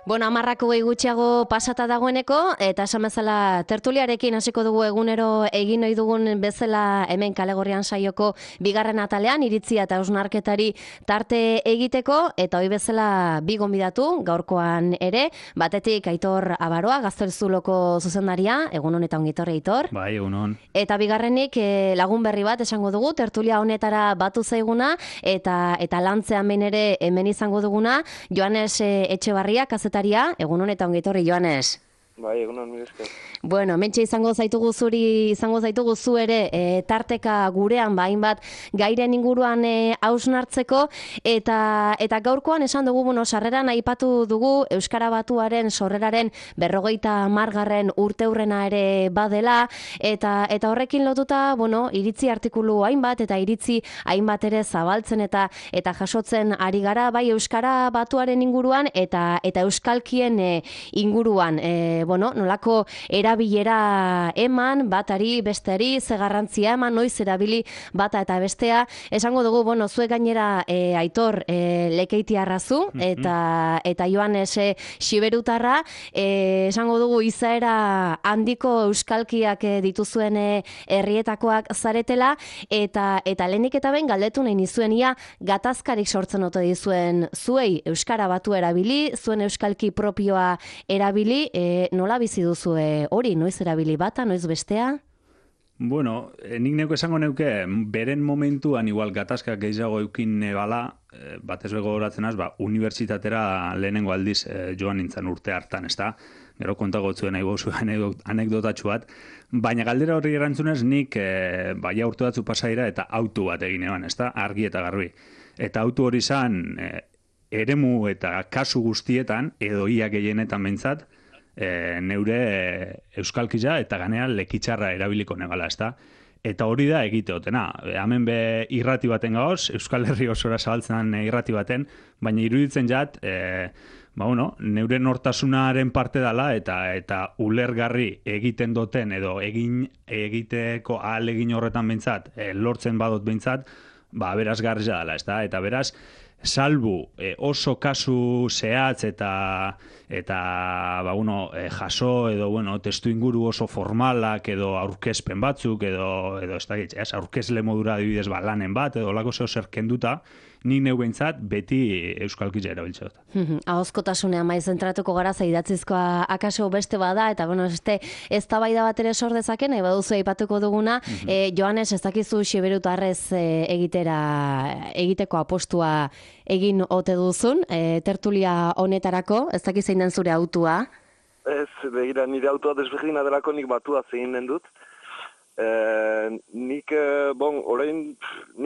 Bueno, 10 gutxiago pasata dagoeneko, eta esan bezala tertuliarekin hasiko dugu egunero egin ohi dugun bezala hemen Kalegorrian saioko bigarren atalean iritzia eta hausnarketari tarte egiteko, eta hoi bezala bi gonbidatu gaurkoan ere, batetik Aitor Abaroa, Gaztelzuloko zuzendaria, egun honetan ongitorri Aitor. Bai, egun hon. Eta bigarrenik lagun berri bat esango dugu, tertulia honetara batu zaiguna, eta lantzean behin ere hemen izango duguna, Joanes Etxebarria, kazetaria, egun honetan ongitorri Joanes. Bai, egun hon, mire esker. Bueno, mentxe izango zaitugu zu ere tarteka gurean hainbat gairen inguruan hausnartzeko eta gaurkoan esan dugu, sarreran aipatu dugu Euskara Batuaren sorreraren 50. urteurrena ere badela eta horrekin lotuta, iritzi artikulu hainbat eta iritzi hainbat ere zabaltzen eta jasotzen ari gara, bai Euskara Batuaren inguruan eta euskalkien inguruan, nolako erabilera eman, batari, besteari, ze garrantzia eman, noiz erabili bata eta bestea. Esango dugu, zuek gainera Aitor Lekeitiarrazu eta Joanes Xiberutarra, esango dugu izaera handiko euskalkiak dituzuen herrietakoak zaretela, eta lehenik eta behin galdetu nahi nizuen ia gatazkarik sortzen ote dizuen zuei Euskara Batu erabili, zuen euskalki propioa erabili, nola bizi duzu hori, noiz erabili bata, noiz bestea? Bueno, nik neko esango neuke, beren momentuan igual gatazkak gehiago eukin nebala, batez begoratzen az, unibertsitatera lehenengo aldiz joan nintzen urte hartan, ezta? Gero kontago zuen nahi bozu anekdotatxu bat, baina galdera horri erantzunez nik baia urte batzu pasaira eta autu bat egin eban, ezta? Argi eta garbi. Eta autu hori zan eremu eta kasu guztietan, edo ia gehienetan behintzat, neure euskalkia eta ganean lekitxarra erabiliko negala, ezta? Eta hori da egiteotena. Hemen be irrati baten gaoz, Euskal Herri osora zabaltzen irrati baten, baina iruditzen jat, neure nortasunaren parte dela eta ulergarri egiten duten edo egiteko ahalegin horretan behintzat, lortzen badot behintzat, berazgarria dela, ezta? Eta beraz, salbu oso kasu zehatz eta jaso edo testu inguru oso formalak edo aurkezpen batzuk edo aurkezle modura adibidez lanen bat edo lako zer kenduta, nik neu behintzat beti euskalkia erabiltze dut. Ahozkotasunean maiz zentratuko gara, idatzizkoa akaso beste bada, eta eztabaida bat ere sor dezaken, nahi baduzu aipatuko duguna, Joanes, ez dakizu Xiberutarrez egiteko apostua egin ote duzun, tertulia honetarako, ez dakiz zein den zure autua? Ez, begira, nire autua desberdina delako nik batua zein den dut. Nik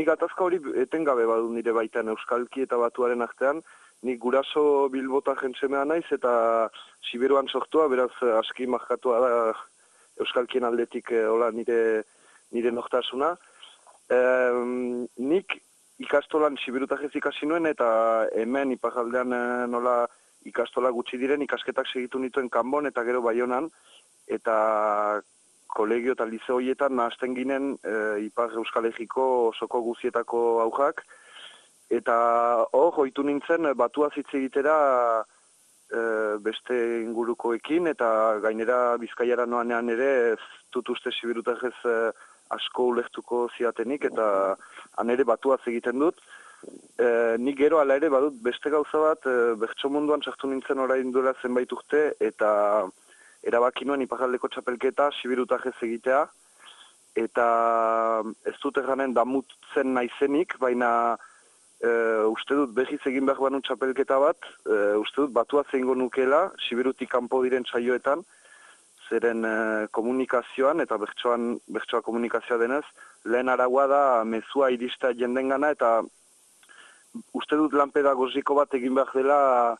atazka hori etengabe badu nire baitan euskalki eta batuaren artean, nik guraso Bilbota jentsemea naiz eta Siberuan sortua, beraz aski markatua da euskalkien aldetik nire nortasuna. Nik ikastolan Siberutajez ikasi nuen eta hemen iparraldean nola ikastola gutxi diren ikasketak segitu nituen Kanbon eta gero Baionan, eta kolegio eta liceo horietan nahazten ginen Ipar Euskal Herriko osoko guzietako aujak, eta ohitu nintzen batua hitz egitera beste ingurukoekin, eta gainera Bizkaiara noanean ere ez dut uste Siberutajez asko ulertuko ziatenik, eta han ere batuaz egiten dut. Nik gero ala ere badut beste gauza bat, bertso munduan sartu nintzen orain duela zenbait urte, eta erabaki nuen iparraldeko txapelketa Siberutajez egitea, eta ez dut erranen damutzen naizenik, baina uste dut behiz egin behar banu txapelketa bat, uste dut batuaz egingo nukela, Siberutik kanpo diren saioetan, zeren komunikazioan, eta bertsoa komunikazioa denez, lehen araua da mezua irista jendengana, eta uste dut lan pedagogiko bat egin behar dela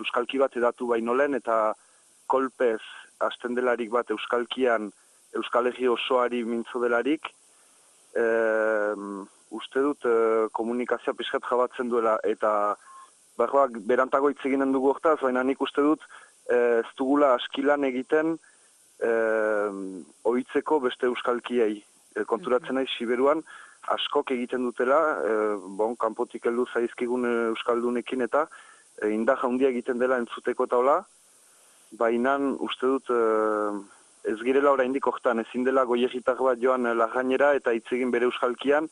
euskalki bat edatu baino lehen, eta kolpez hasten delarik bat euskalkian Euskal Herri osoari mintzo delarik, uste dut komunikazioa pixkat jabatzen duela, eta berantago hitz eginen dugu hortaz, baina nik uste dut ez dugula askilan egiten ohitzeko beste euskalkiei. Konturatzen naiz Siberuan askok egiten dutela, kanpotik heldu zaizkigun euskaldunekin eta indar handia egiten dela entzuteko taula, baina uste dut ez girela oraindik hortan, ezin dela goiegitar bat joan larrainera eta hitz egin bere euskalkian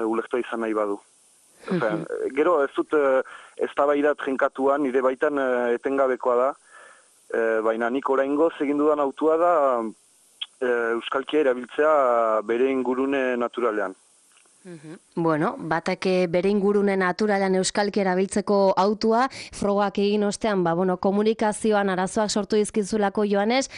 ulektua izan nahi badu. Gero ez dut eztabaidat jenkatuan, nire baitan etengabekoa da, baina nik oraingoz egin dudan autua da euskalkia erabiltzea bere ingurune naturalean. Bueno, batak bere ingurune naturalean euskalki erabiltzeko autua, frogak egin ostean, komunikazioan arazoak sortu dizkizulako Joanes,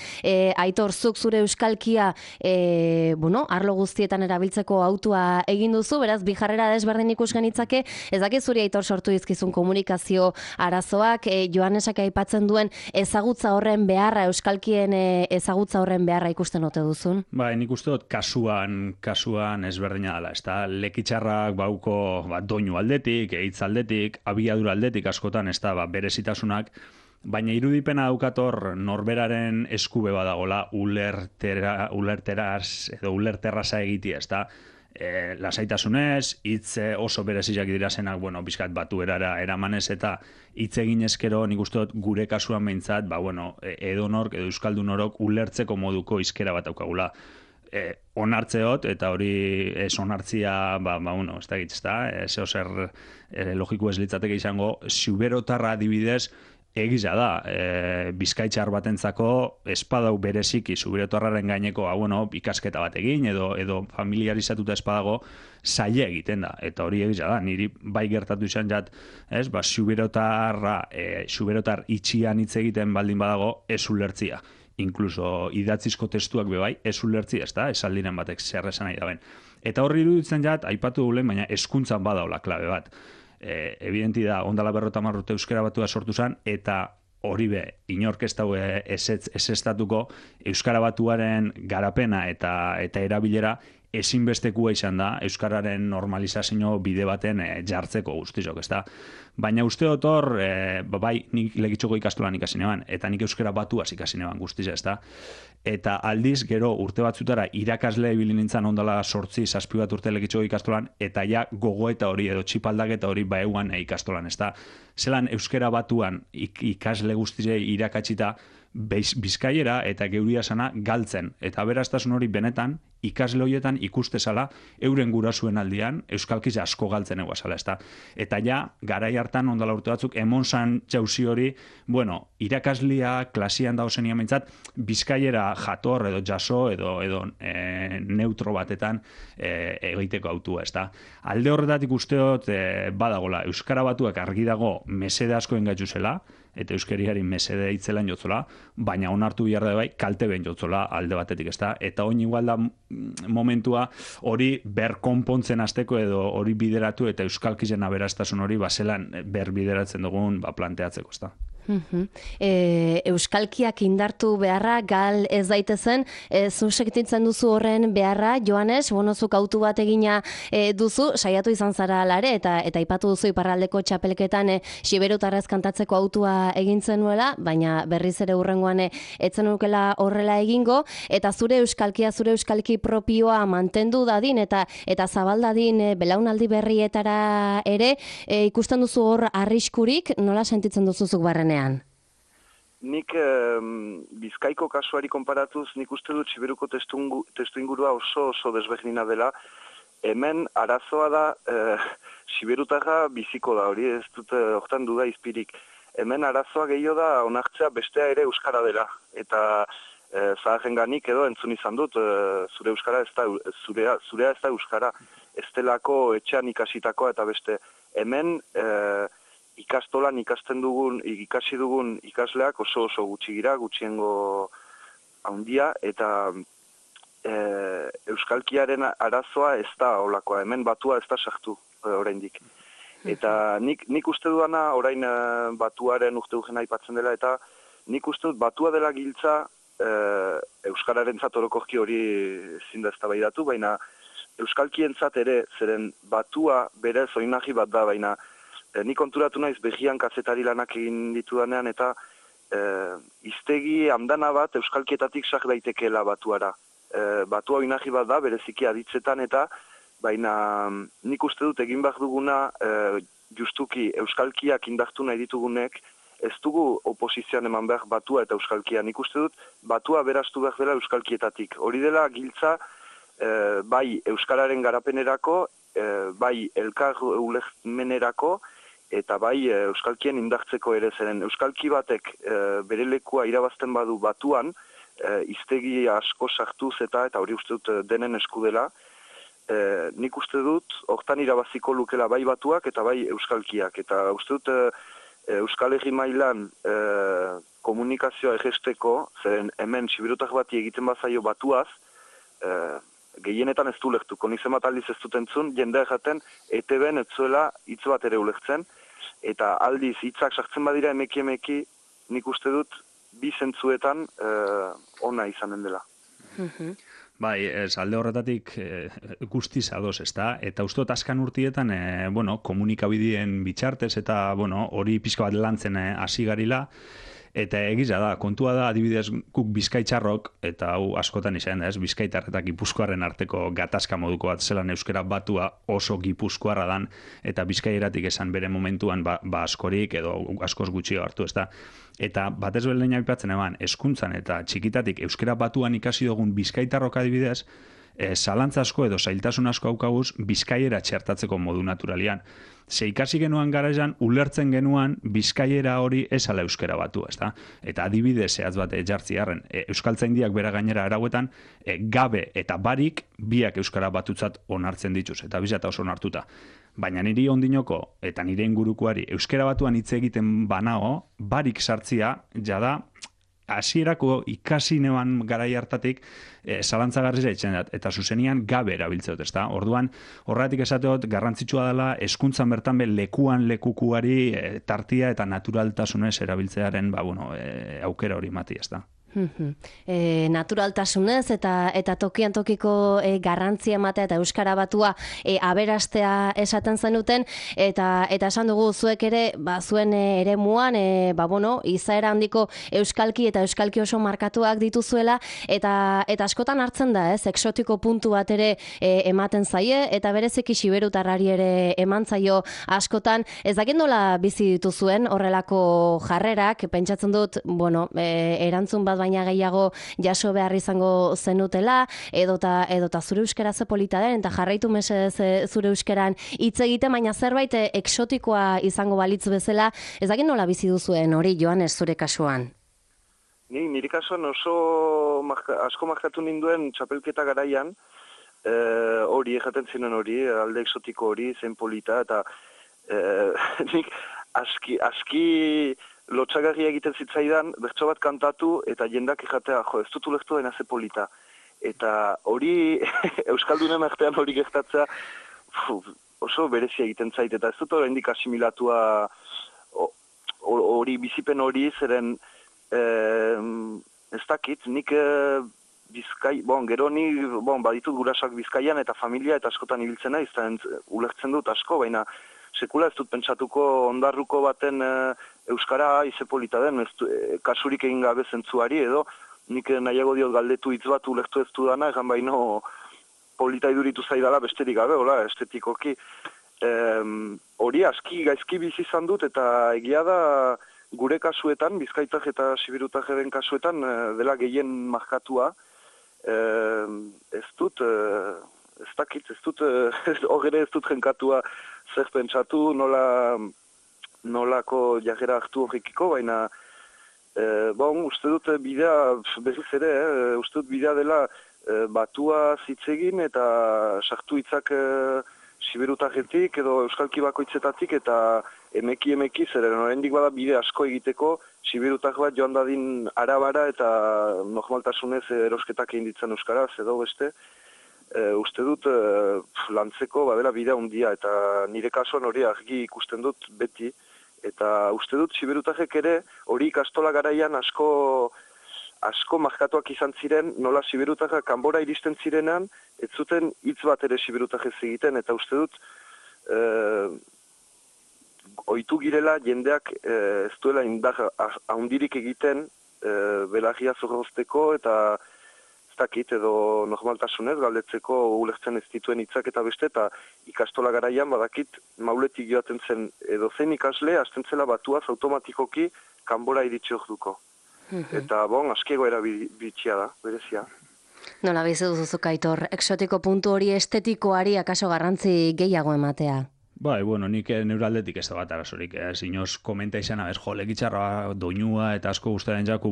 Aitor, zuk zure euskalkia, arlo guztietan erabiltzeko autua egin duzu, beraz, bi jarrera desberdin ikus genitzake, ez dakit zuri Aitor sortu dizkizun komunikazio arazoak, Joanesak aipatzen duen ezagutza horren beharra, euskalkien ezagutza horren beharra ikusten ote duzun? Ba, nik uste dut kasuan ezberdina dela, ez da, lekitxarrak bauko doinu aldetik, hitz aldetik, abiadura aldetik askotan, ez da, berezitasunak, baina irudipena daukator norberaren eskube badagola ulerteraz edo ulerterraza egiti, ez da, lasaitasunez, hitz oso bereziak dirazenak, bizkat batuerara eramanez eta hitz egin ezkero, nik uste dut gure kasuan behintzat, edonork edo euskaldun orok ulertzeko moduko hizkera bat daukagula. Onartzeot, eta hori ez onartzia, ez da egitz, zeo zer logiko ez litzateke izango, zuberotarra adibidez egiza da, bizkaitxar batentzako espadau bereziki zuberotarraren gaineko, ikasketa bat egin, edo familiarizatuta espadago zaila egiten da, eta hori egiza da, niri bai gertatu izan jat, zuberotar itxian hitz egiten baldin badago ez ulertzia. Inkluso idatzizko testuak bebai, ez ulertzi, ez da, esaldiren batek zer esan nahi daben. Eta horri iruditzen jat, aipatu dulen, baina hezkuntzan badaula klabe bat. Evidenti da, ondala 50 urte euskara batua sortu zen, eta hori inork ez dago ezestatuko euskara batuaren garapena eta erabilera ezinbestekua izan da euskararen normalizazio bide baten jartzeko guztizok, ez da. Baina uste dut hor, nik legitxoko ikastolan ikasi neban, eta nik euskara batuaz ikasi neban guztiz, ez da. Eta aldiz, gero urte batzutara irakasle ibili nintzen ondala 8-7 bat urte legitxoko ikastolan, eta ja gogoeta hori edo txipaldaketa hori baeuan ikastolan, ez da. Zelan euskara batuan ikasle guztizei irakatsita, bizkaiera eta geuria sana galtzen. Eta beraztasun hori benetan, ikasle horietan ikustezala, euren gurasuen aldian, euskalkiz asko galtzen eguazala, ez da. Eta ja, garai hartan ondala urte batzuk, emon zan jauzi hori, irakaslia klasian dauzenia mentzat, bizkaiera jator edo jaso edo neutro batetan egiteko autua, ez da. Alde horretatik usteot badagola, euskara batuak argi dago mesede asko engaitzu zela, eta euskeriari mesede hitzelan jotzola, baina onartu behar da bai, kalte ben jotzola alde batetik, ez da. Eta oin igual da momentua hori berkonpontzen hasteko edo hori bideratu eta euskalkizen aberastasun hori zelan berbideratzen dugun planteatzeko, ez da. Euskalkiak indartu beharra gal ez daitezen, zu sektitzen duzu horren beharra, Joanes, zuk autu bat egina duzu, saiatu izan zara alare, eta aipatu duzu iparraldeko txapelketan Xiberutarrez kantatzeko autua egintzen nuela, baina berriz ere hurrengoan etzen nukela horrela egingo, eta zure euskalki propioa mantendu dadin, eta zabaldadin belaunaldi berrietara ere, ikusten duzu hor arriskurik, nola sentitzen duzuzuk barren? Nik Bizkaiko kasuari konparatuz, nik uste dut Siberuko testu ingurua oso desberdina dela. Hemen arazoa da, Siberutarra biziko da, hori ez dut hortan duda izpirik. Hemen arazoa gehiago da onartzea bestea ere euskara dela. Eta zaharrenganik edo entzun izan dut, zurea ez da euskara. Ez delako etxean ikasitakoa eta beste. Hemen ikastolan ikasi dugun ikasleak oso gutxi gira, gutxiengo handia, eta euskalkiaren arazoa ez da olakoa, hemen batua ez da sartu oraindik. Eta nik uste duana, orain batuaren urte urgena aipatzen dela, eta nik uste dut batua dela giltza euskararen orokorki hori ezin da eztabaidatu, baina euskalkientzat ere, zeren batua berez oinarri bat da, baina nik konturatu naiz begian kazetari lanak egin ditudanean, eta hiztegi andana bat euskalkietatik sak daitekeela batuara. Batua oinarri bat da, bereziki aditzetan, eta baina nik uste dut egin behar duguna justuki euskalkiak indartu nahi ditugunek, ez dugu oposizioan eman behar batua eta euskalkia. Nik uste dut batua berastu behar dela euskalkietatik. Hori dela giltza bai euskararen garapenerako, bai elkar ulermenerako, eta bai euskalkien indartzeko ere zeren. Euskalki batek bere lekua irabazten badu batuan, hiztegi asko sartuz eta hori uste dut denen esku dela, nik uste dut hortan irabaziko lukela bai batuak eta bai euskalkiak. Eta uste dut Euskal Herri mailan komunikazioa egesteko, zeren hemen sibirutar bati egiten bazaio batuaz, gehienetan ez du lehtuko, nik zenbat aldiz ez dut entzun, jendea jaten ETB-en ez zuela hitz bat ere ulektzen, eta aldiz hitzak sartzen badira emeki, nik uste dut bi zentzuetan ona izanen dela. Bai, alde horretatik guztiz ados, ezta? Eta uste dut azkan urtietan, komunikabideen bitxartez eta, hori pixka bat lantzen hasi garila, eta egiza da, kontua da, adibidez, guk bizkaitxarrok, eta hau askotan izan da, bizkaitar eta gipuzkoarren arteko gatazka moduko bat zelan euskera batua oso gipuzkoarra dan, eta bizkaieratik esan bere momentuan askorik edo askoz gutxio hartu, ezta? Eta batez belein aipatzen eban, hezkuntzan eta txikitatik euskera batuan ikasi dugun bizkaitarrok adibidez, zalantza asko edo zailtasun asko haukaguz bizkaiera txertatzeko modu naturalian. Ze ikasi genuan garaian, ulertzen genuan bizkaiera hori esala euskera batu, ezta? Eta adibide zehatz bat jartzi harren, euskaltzaindiak bera gainera arauetan, gabe eta barik biak euskara batutzat onartzen dituz, eta bizata oso onartuta. Baina niri ondinoko eta nire ingurukoari euskera batuan hitz egiten banao, barik sartzia, jada, hasierako ikasi neban garai hartatik zalantzagarria itzen dat, eta zuzenian gabe erabiltzeot, ezta? Orduan, horretik esateot, garrantzitsua dela hezkuntzan bertan lekuan lekukuari tartia eta naturaltasunez erabiltzearen aukera hori mati, ezta? Naturaltasunez eta tokian tokiko garrantzia ematea eta euskara batua aberastea esaten zenuten eta esan dugu zuek ere zuen eremuan izaera handiko euskalki eta euskalki oso markatuak dituzuela eta askotan hartzen da, exotiko puntu bat ere ematen zaie eta bereziki siberutarrari ere eman zaio askotan. Ez dakit nola bizi dituzuen horrelako jarrerak, pentsatzen dut, erantzun bat baina gehiago jaso behar izango zenutela, edota zure euskara ze polita den, eta jarraitu mesedez zure euskeran hitz egiten, baina zerbait exotikoa izango balitz bezala, ez dakit nola bizi duzuen hori, Joanes, zure kasuan? Nire kasuan oso asko markatu ninduen txapelketa garaian, hori, ejaten zinen hori, alde exotiko hori, zen polita, eta nik aski lotxagarria egiten zitzaidan, bertso bat kantatu, eta jendak ejatea, ez dut ulektu dena ze polita. Eta hori, Euskaldunen artean hori gertatzea, oso berezia egiten zait, eta ez dut oraindik asimilatua hori, bizipen hori, zeren, ez dakit, nik gero ni, baditut gurasoak Bizkaian, eta familia, eta askotan ibiltzen naiz, ulertzen dut asko, baina sekula ez dut pentsatuko ondarruko baten euskara izepolita den, kasurik egin gabe zentzuari, edo nik nahiago diot galdetu hitz bat ulertu ez dudana, egan baino polita iduritu zaidala besterik gabe, estetikoki. Hori gaizki bizi izan dut, eta egia da gure kasuetan, bizkaitar eta sibirutarren kasuetan, dela gehien markatua, ez dut jenkatua zer pentsatu, nolako jarrera hartu horrekiko, baina uste dut bidea, berriz ere, uste dut bidea dela batua zitzegin eta sartu hitzak siberutarretik edo euskalki bakoitzetatik eta emeki zeren oraindik bada bide asko egiteko siberutar bat joan dadin arabara eta normaltasunez erosketak egin ditzen euskaraz edo beste. Uste dut lantzeko badela bidea handia eta nire kasuan hori argi ikusten dut beti eta uste dut siberutarrek ere hori ikastola garaian asko markatuak izan ziren, nola siberutarrak kanbora iristen zirenan, ez zuten hitz bat ere siberutarrez egiten eta uste dut ohitu girela jendeak ez duela indar handirik egiten belarria zorrozteko eta ez dakit, edo normaltasunez, galdetzeko ulertzen ez dituen hitzak eta beste, eta ikastola garaian badakit mauletik joaten zen edo zein ikasle, hasten zela batuaz automatikoki kanbora iritsi orduko. Eta, askiego erabitxia da, berezia. Nola bizi duzuzuk Aitor, exotiko puntu hori estetikoari akaso garrantzi gehiago ematea? Bai, nik neure aldetik ez da bat arazorik. Inoz komenta izan, lekitxarra, doinua eta asko guztaren jaku,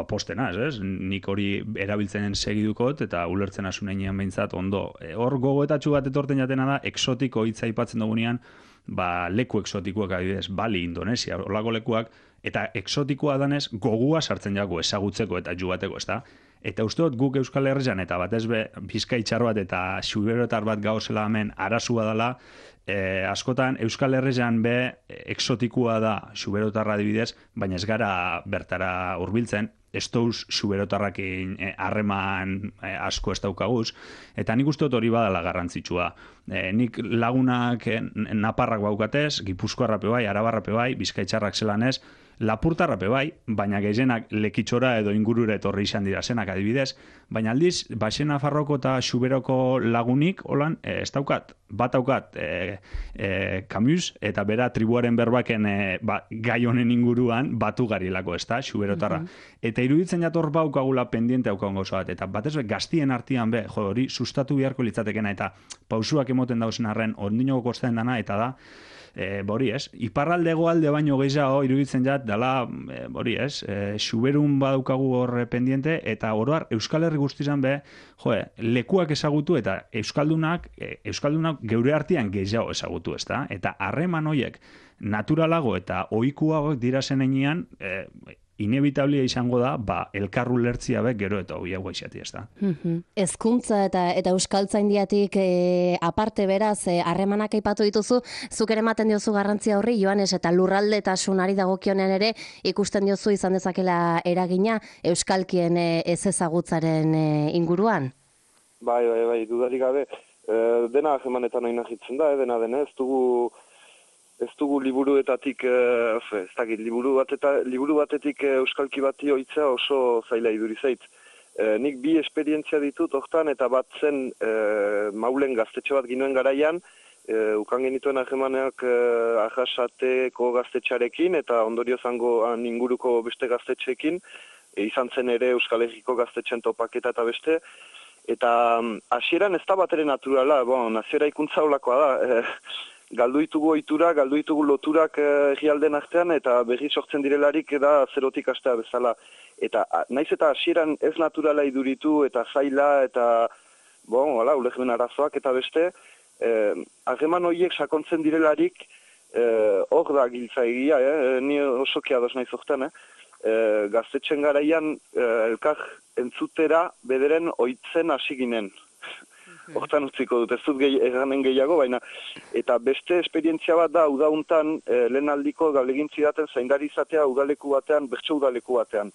postena, ez? Nik hori erabiltzen segidukot eta ulertzen asunean behintzat ondo. Hor gogoetatxu bat etorten jatena da, exotiko hitza aipatzen dugunean, leku exotikoak adibidez, Bali, Indonesia, olako lekuak, eta exotikoa danez gogua sartzen jago ezagutzeko eta jugateko, ez da? Eta uste dut guk Euskal Herrian eta batez be bizkaitxar bat eta xuberotar bat gauzela hemen arazua dela, askotan Euskal Herrian be exotikua da xuberotarra adibidez, baina ez gara bertara hurbiltzen, ez dauz xuberotarrakin harreman asko ez daukaguz, eta nik uste dut hori badala garrantzitsua. Nik lagunak naparrak baukatez, gipuzkoarrape bai, arabarrape bai, bizkaitxarrak zelanez, lapurtarrape bai, baina gehienak lekitxora edo ingurure etorri izan dira zenak adibidez, baina aldiz, Baxe Nafarroko eta Xuberoko lagunik, holan, ez daukat, bat daukat Camus, eta bera tribuaren berbaken gai honen inguruan batu garilako, ez da, Xuberotarra. Eta iruditzen jator baukagula pendiente haukagun gauza bat, eta batez gaztien artean hori sustatu beharko litzatekena, eta pausuak emoten dauzen arren, ondinoko kosten dana, eta da, hori ez, iparralde goalde baino gehiago iruditzen jat, dala, hori ez, xuberun badaukagu horre pendiente, eta oroar Euskal Herri guztizan lekuak ezagutu, eta Euskaldunak geure artean gehiago ezagutu, ez da? Eta harreman horiek naturalago eta ohikuagoak dira zenean, inevitablia izango da, elkarru lertzia bek gero eta hoiago izati, ez da. Hezkuntza eta euskaltzaindiatik aparte beraz, harremanak aipatu dituzu, zuk ere ematen diozu garrantzia horri, Joanes, eta lurraldetasunari dagokionen ere ikusten diozu izan dezakela eragina euskalkien ez ezagutzaren inguruan? Bai, dudarik gabe. Dena harremanetan oinahitzen da, dena ez dugu liburuetatik, ez dakit, liburu batetik euskalki bati oitzea oso zaila idurizait. Nik bi esperientzia ditut hortan, eta bat zen Maulen gaztetxo bat ginoen garaian, ukan genituen harremaneak Arrasateko gaztetxarekin, eta ondorio zango inguruko beste gaztetxeekin, izan zen ere Euskal Herriko gaztetxen topaketa eta beste, eta hasieran ez da bat ere naturala, naziera ikuntza holakoa da, galdu ditugu ohitura, galdu ditugu loturak herrialden artean, eta berri sortzen direlarik da zerotik hastea bezala. Eta naiz eta hasieran ez naturala iduritu, eta zaila, eta ulermen arazoak eta beste, harreman horiek sakontzen direlarik, hor da giltza egia, ni osoki ados naiz hortan, gaztetxen garaian elkar entzutera bederen ohitzen hasi ginen. Hortan utziko dut, ez dut eganen gehiago, baina eta beste esperientzia bat da udauntan lehen aldiko galegintzi daten zaindari izatea udaleku batean, bertso udaleku batean.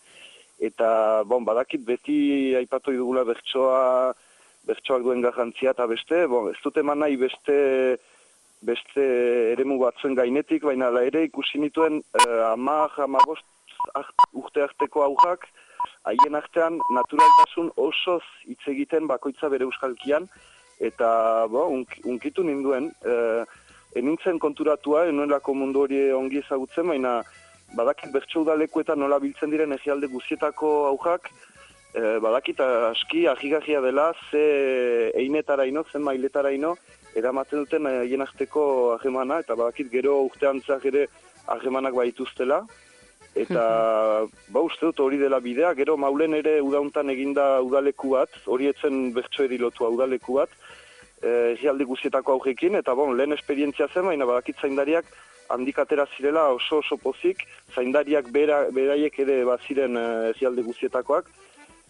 Eta badakit beti aipatu dugula bertsoak duen garrantzia eta beste, ez dut eman nahi beste eremu batzuen gainetik, baina ere ikusi nituen 10-15 urte arteko aurrak, haien artean naturaltasun osoz hitz egiten bakoitza bere euskalkian, eta unkitu ninduen, enintzen konturatua, enuelako mundu hori ongi ezagutzen, baina badakit bertso udalekuetan nola biltzen diren herrialde guzietako aurrak, badakit aski ahigarria dela, ze einetaraino, zen mailetaraino, eramaten duten haien arteko harremana, eta badakit gero urteantzak ere harremanak baituztela, eta uste dut hori dela bidea, gero Maulen ere udauntan eginda udaleku bat, hori etzen bertsoeri lotua udaleku bat, herrialde guzietako aurrekin, eta lehen esperientzia zen, baina badakit zaindariak handik atera zirela oso pozik, zaindariak beraiek ere baziren herrialde guzietakoak,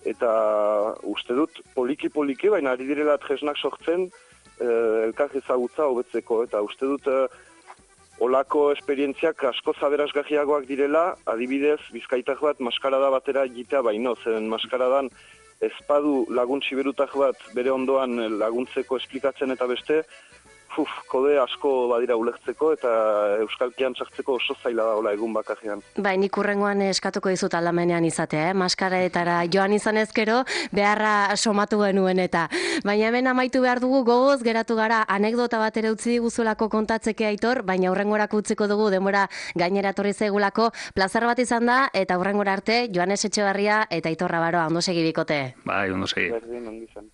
eta uste dut poliki, baina ari direla tresnak sortzen elkar ezagutza hobetzeko, eta uste dut olako esperientziak asko zaberazgarriagoak direla, adibidez, bizkaitar bat maskarada batera egitea baino, zen maskaradan ezpadu lagun siberutar bat bere ondoan laguntzeko esplikatzen eta beste, kode asko badira ulertzeko eta euskalkian sartzeko oso zaila da hola egun bakarrean. Bai, nik urrengoan eskatuko dizut aldamenean izatea, maskaretara joan izan ezkero, beharra somatu genuen eta. Baina hemen amaitu behar dugu gogoz, geratu gara anekdota bat ere utzi diguzulako kontatzeke Aitor, baina urrengorako utziko dugu denbora gainera etorri zaigulako, plazer bat izan da, eta urrengora arte, Joanes Etxebarria eta Aitor Rabaroa, ondo segi bikote. Bai, ondo segi. Berdin, ondo izan.